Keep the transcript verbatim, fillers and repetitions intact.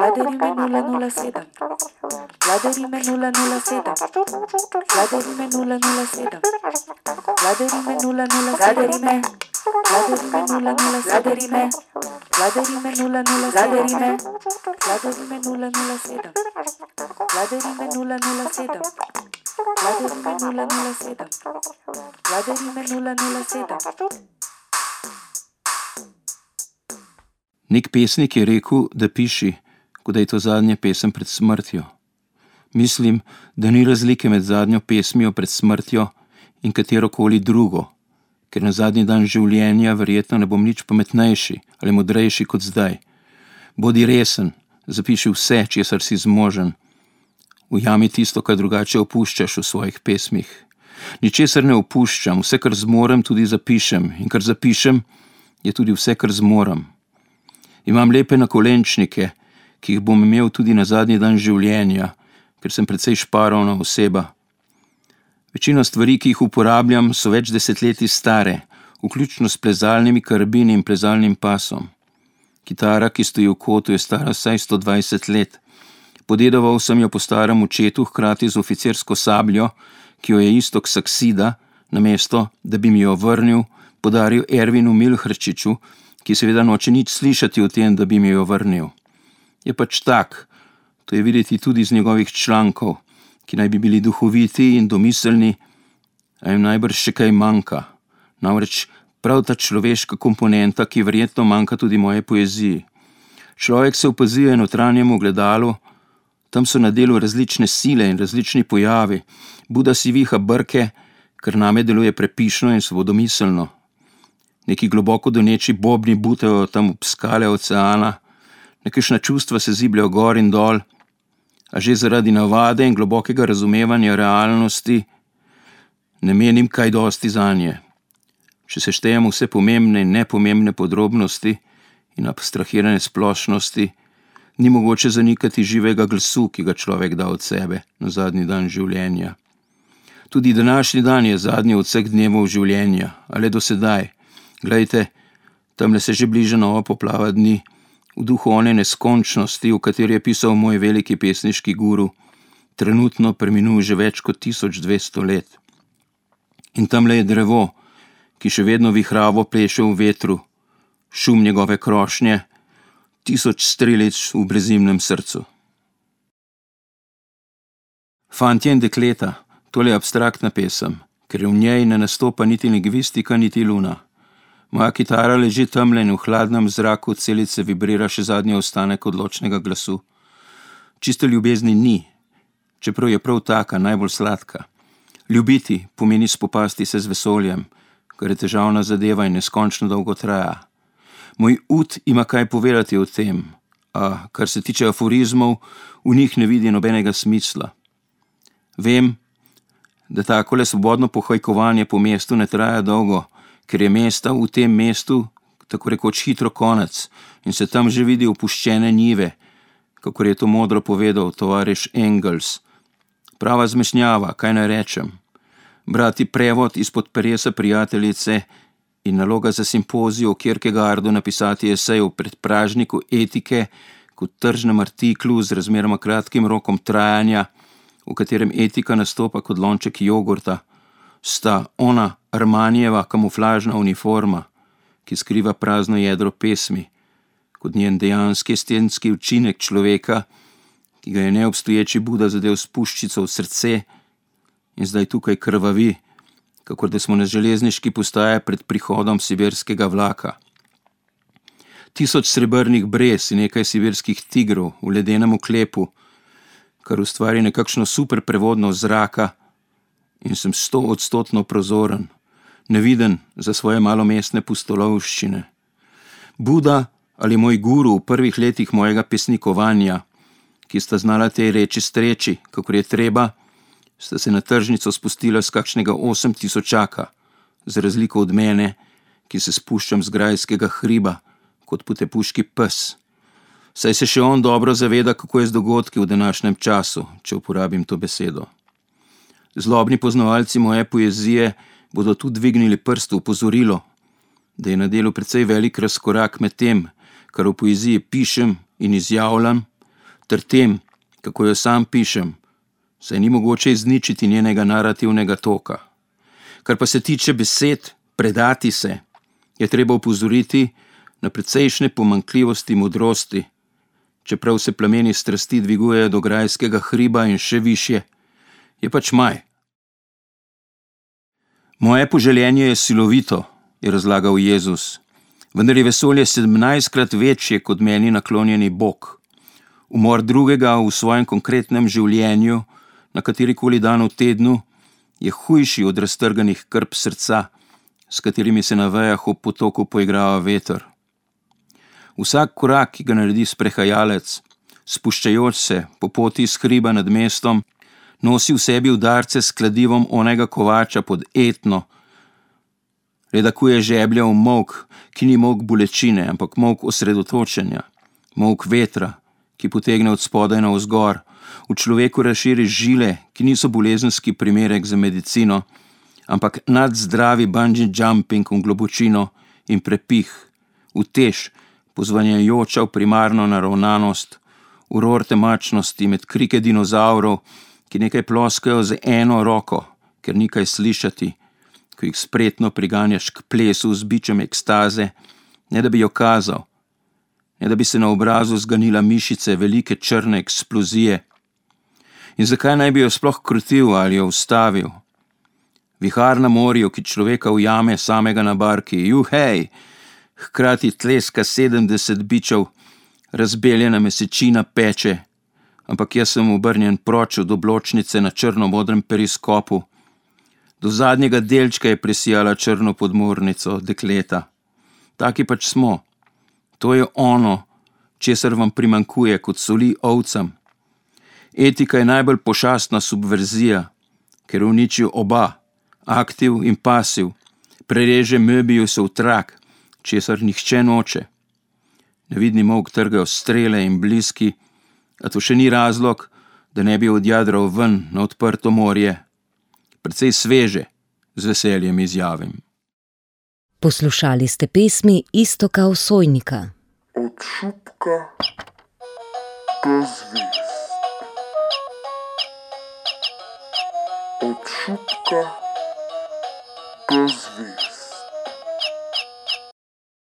Vladarime nula nula sedem. Vladarime nula nula sedem. Vladarime nula nula sedem. Vladarime nula nula Vladarime. Vladarime nula nula Vladarime. Vladarime nula nula Vladarime. Vladarime nula nula sedem. Vladarime nula nula sedem. Vladarime nula nula sedem. Vladarime nula nula sedem. Nek pesnik je rekel, da piši, kot da je to zadnja pesem pred smrtjo. Mislim, da ni razlike med zadnjo pesmijo pred smrtjo in katerokoli drugo, ker na zadnji dan življenja verjetno ne bom nič pametnejši ali modrejši kot zdaj. Bodi resen, zapiši vse, česar si zmožen. Ujami tisto, kar drugače opuščaš v svojih pesmih. Ničesar ne opuščam, vse, kar zmorem, tudi zapišem, in kar zapišem, je tudi vse, kar zmorem. Imam lepe nakolenčnike, ki jih bom imel tudi na zadnji dan življenja, ker sem precej šparovna oseba. Večino stvari, ki jih uporabljam, so več desetletij stare, vključno s plezalnimi karabini in plezalnim pasom. Kitara, ki stoji v kotu, je stara vsaj sto dvajset let. Podedoval sem jo po starem očetu, hkrati z oficirsko sabljo, ki jo je Iztok Saksida, namesto, da bi mi jo vrnil, podaril Ervinu Milhrčiču, ki seveda noče nič slišati o tem, da bi mi jo vrnil. Je pač tak, to je videti tudi iz njegovih člankov, ki naj bi bili duhoviti in domiselni, a jim najbrž še kaj manjka. Namreč prav ta človeška komponenta, ki verjetno manjka tudi moje poeziji. Človek se opazuje notranjemu ogledalu, tam so na delu različne sile in različni pojavi. Buda si viha brke, ker name deluje prepišno in svobodomiselno. Neki globoko doneči bobni butajo tam ob skale oceana, nekajšna čustva se zibljajo gor in dol, a že zaradi navade in globokega razumevanja realnosti ne menim kaj dosti zanje. Če se štejem vse pomembne in nepomembne podrobnosti in abstrahirane splošnosti, ni mogoče zanikati živega glasu, ki ga človek da od sebe na zadnji dan življenja. Tudi današnji dan je zadnji od vseh dnevov življenja, ali do sedaj. Glejte, tamle se že bliža nova poplava dni, v duhu one neskončnosti, v kateri je pisal moj veliki pesniški guru, trenutno preminul že več kot tisoč dvesto let. In tamle je drevo, ki še vedno vihravo pleše v vetru, šum njegove krošnje, tisoč strelic v brezimnem srcu. Fantje in dekleta, tole je abstraktna pesem, ker v njej ne nastopa niti lingvistika, niti luna. Moja kitara leži tamle in v hladnem zraku celice vibrira še zadnji ostanek odločnega glasu. Čiste ljubezni ni, čeprav je prav taka, najbolj sladka. Ljubiti pomeni spopasti se z vesoljem, kar je težavna zadeva in neskončno dolgo traja. Moj ud ima kaj povedati o tem, a kar se tiče aforizmov, v njih ne vidi nobenega smisla. Vem, da takole svobodno pohajkovanje po mestu ne traja dolgo, ker je mesta v tem mestu tako rekoč hitro konec in se tam že vidi opuščene njive, kakor je to modro povedal tovariš Engels. Prava zmešnjava, kaj naj rečem. Brati prevod izpod peresa prijateljice in naloga za simpozij o Kierkegaardu napisati esej o predpražniku etike kot tržnem artiklu z razmeroma kratkim rokom trajanja, v katerem etika nastopa kot lonček jogurta, sta ona Armanijeva kamuflažna uniforma, ki skriva prazno jedro pesmi, kot njen dejanski estetski učinek človeka, ki ga je neobstoječi Buda zadel s puščico v srce in zdaj tukaj krvavi, kakor da smo na železniški postaji pred prihodom sibirskega vlaka. Tisoč srebrnih brez in nekaj sibirskih tigrov v ledenem oklepu, kar ustvari nekakšno super prevodno zraka, in sem stoodstotno prozoren, neviden za svoje malomestne pustolovščine. Buda ali moj guru v prvih letih mojega pesnikovanja, ki sta znala tej reči streči, kakor je treba, sta se na tržnico spustila z kakšnega osem tisočaka, za razliko od mene, ki se spuščam z grajskega hriba, kot potepuški pes. Saj se še on dobro zaveda, kako je z dogodki v današnjem času, če uporabim to besedo. Zlobni poznavalci moje poezije bodo tu dvignili prst v opozorilo, da je na delu precej velik razkorak med tem, kar v poeziji pišem in izjavljam, ter tem, kako jo sam pišem, saj ni mogoče izničiti njenega narativnega toka. Kar pa se tiče besed predati se, je treba upozoriti na precejšnje pomanjkljivosti modrosti, čeprav se plameni strasti dvigujejo do grajskega hriba in še višje, je pač maj. Moje poželjenje je silovito, je razlagal Jezus, vendar je vesolje sedemnajstkrat večje kot meni naklonjeni Bog. Umor drugega v svojem konkretnem življenju, na katerikoli dan v tednu, je hujši od raztrganih krp srca, s katerimi se na vejah ob potoku poigrava veter. Vsak korak, ki ga naredi sprehajalec, spuščajoč se po poti iz hriba nad mestom, nosi v sebi udarce s kladivom onega kovača pod etno, redakuje žeblja v molk, ki ni molk bolečine, ampak molk osredotočenja, molk vetra, ki potegne od spodaj navzgor, v človeku razširi žile, ki niso bolezenski primerek za medicino, ampak nadzdravi bungee jumping v globočino in prepih, utež, pozvanjajoča v primarno naravnanost, uror temačnosti med krike dinozavrov, ki nekaj ploskajo z eno roko, ker ni kaj slišati, ko jih spretno priganjaš k plesu z bičem ekstaze, ne da bi jo kazal, ne da bi se na obrazu zganila mišice velike črne eksplozije. In zakaj naj bi jo sploh krutil ali jo ustavil? Vihar na morju, ki človeka ujame samega na barki, juhej, hkrati tleska sedemdeset bičev, razbeljena mesečina peče, ampak jaz sem obrnjen proč od obločnice na črno-modrem periskopu. Do zadnjega delčka je presijala črno podmornico dekleta. Taki pač smo. To je ono, česar vam primanjkuje kot soli ovcam. Etika je najbolj pošastna subverzija, ker uniči oba, aktiv in pasiv, prereže Möbiusov trak, česar nihče noče. Nevidni molk trgajo strele in bliski, a to še ni razlog, da ne bi odjadral ven na odprto morje. Precej sveže, z veseljem izjavim. Poslušali ste pesmi Iztoka Osojnika. Od šupka do zvezd. Od šupka do zvezd.